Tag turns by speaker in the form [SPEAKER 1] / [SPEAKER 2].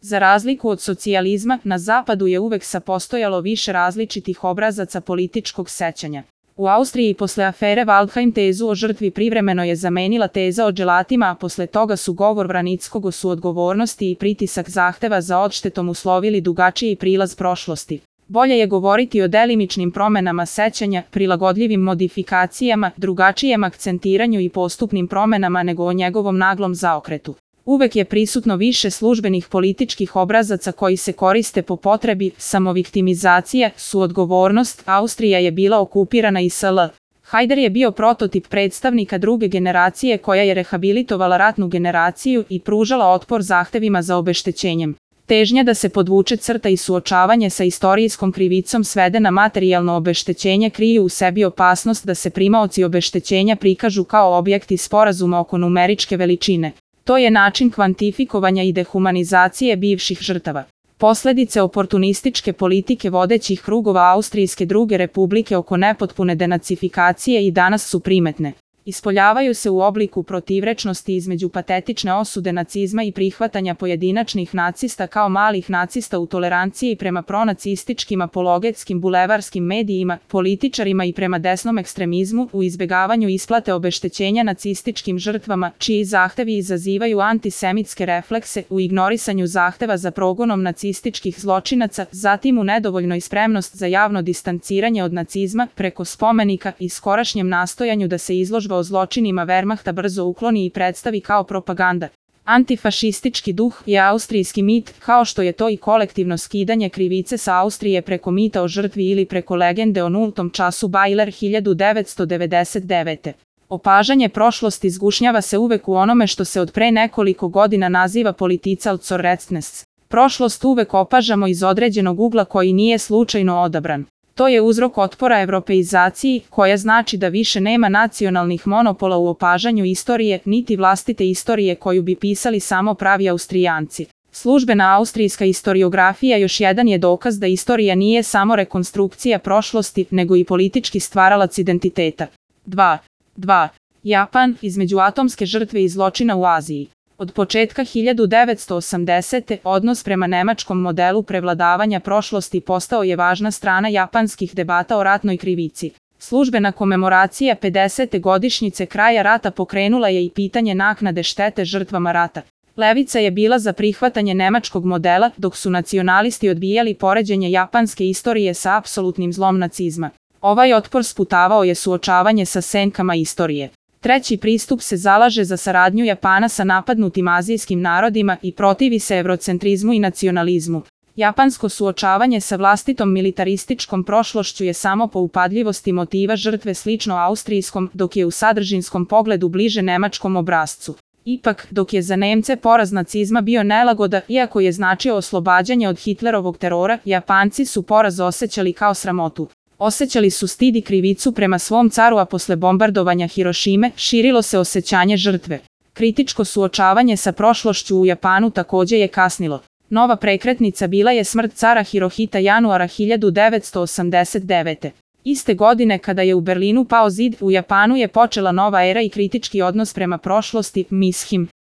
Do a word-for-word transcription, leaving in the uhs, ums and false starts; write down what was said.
[SPEAKER 1] Za razliku od socijalizma, na zapadu je uvek sapostojalo više različitih obrazaca političkog sećanja. U Austriji posle afere Waldheim tezu o žrtvi privremeno je zamenila teza o dželatima, a posle toga su govor Vranickog o suodgovornosti i pritisak zahteva za odštetom uslovili dugačiji prilaz prošlosti. Bolje je govoriti o delimičnim promenama sećanja, prilagodljivim modifikacijama, drugačijem akcentiranju i postupnim promenama nego o njegovom naglom zaokretu. Uvek je prisutno više službenih političkih obrazaca koji se koriste po potrebi, samoviktimizacija, suodgovornost, Austrija je bila okupirana i sl. Hajder je bio prototip predstavnika druge generacije koja je rehabilitovala ratnu generaciju i pružala otpor zahtevima za obeštećenjem. Težnja da se podvuče crta i suočavanje sa istorijskom krivicom svede na materijalno obeštećenje kriju u sebi opasnost da se primaoci obeštećenja prikažu kao objekti sporazuma oko numeričke veličine. To je način kvantifikovanja i dehumanizacije bivših žrtava. Posledice oportunističke politike vodećih krugova Austrijske druge republike oko nepotpune denacifikacije i danas su primetne. Ispoljavaju se u obliku protivrečnosti između patetične osude nacizma i prihvatanja pojedinačnih nacista kao malih nacista u toleranciji prema pronacističkim apologetskim bulevarskim medijima, političarima i prema desnom ekstremizmu u izbegavanju isplate obeštećenja nacističkim žrtvama, čiji zahtevi izazivaju antisemitske reflekse, u ignorisanju zahteva za progonom nacističkih zločinaca, zatim u nedovoljnoj spremnost za javno distanciranje od nacizma preko spomenika i skorašnjem nastojanju da se izložba o zločinima Wehrmachta brzo ukloni i predstavi kao propaganda. Antifašistički duh je austrijski mit, kao što je to i kolektivno skidanje krivice sa Austrije preko mita o žrtvi ili preko legende o nultom času Bajler hiljadu devetsto devedeset devete. Opažanje prošlosti zgušnjava se uvek u onome što se od pre nekoliko godina naziva Politicalzorrectness. Prošlost uvek opažamo iz određenog ugla koji nije slučajno odabran. To je uzrok otpora evropeizaciji, koja znači da više nema nacionalnih monopola u opažanju istorije, niti vlastite istorije koju bi pisali samo pravi Austrijanci. Službena austrijska historiografija još jedan je dokaz da istorija nije samo rekonstrukcija prošlosti, nego i politički stvaralac identiteta. dva. dva. Japan, između atomske žrtve i zločina u Aziji. Od početka hiljadu devetsto osamdesete. odnos prema nemačkom modelu prevladavanja prošlosti postao je važna strana japanskih debata o ratnoj krivici. Službena komemoracija pedesete godišnjice kraja rata pokrenula je i pitanje naknade štete žrtvama rata. Levica je bila za prihvatanje nemačkog modela, dok su nacionalisti odbijali poređenje japanske istorije sa apsolutnim zlom nacizma. Ovaj otpor sputavao je suočavanje sa senkama istorije. Treći pristup se zalaže za saradnju Japana sa napadnutim azijskim narodima i protivi se evrocentrizmu i nacionalizmu. Japansko suočavanje sa vlastitom militarističkom prošlošću je samo po upadljivosti motiva žrtve slično austrijskom, dok je u sadržinskom pogledu bliže nemačkom obrascu. Ipak, dok je za Nemce poraz nacizma bio nelagoda, iako je značio oslobađanje od Hitlerovog terora, Japanci su poraz osjećali kao sramotu. Osjećali su stid i krivicu prema svom caru, a posle bombardovanja Hirošime širilo se osjećanje žrtve. Kritičko suočavanje sa prošlošću u Japanu takođe je kasnilo. Nova prekretnica bila je smrt cara Hirohita januara hiljadu devetsto osamdeset devete. Iste godine kada je u Berlinu pao zid, u Japanu je počela nova era i kritički odnos prema prošlosti, Mishim.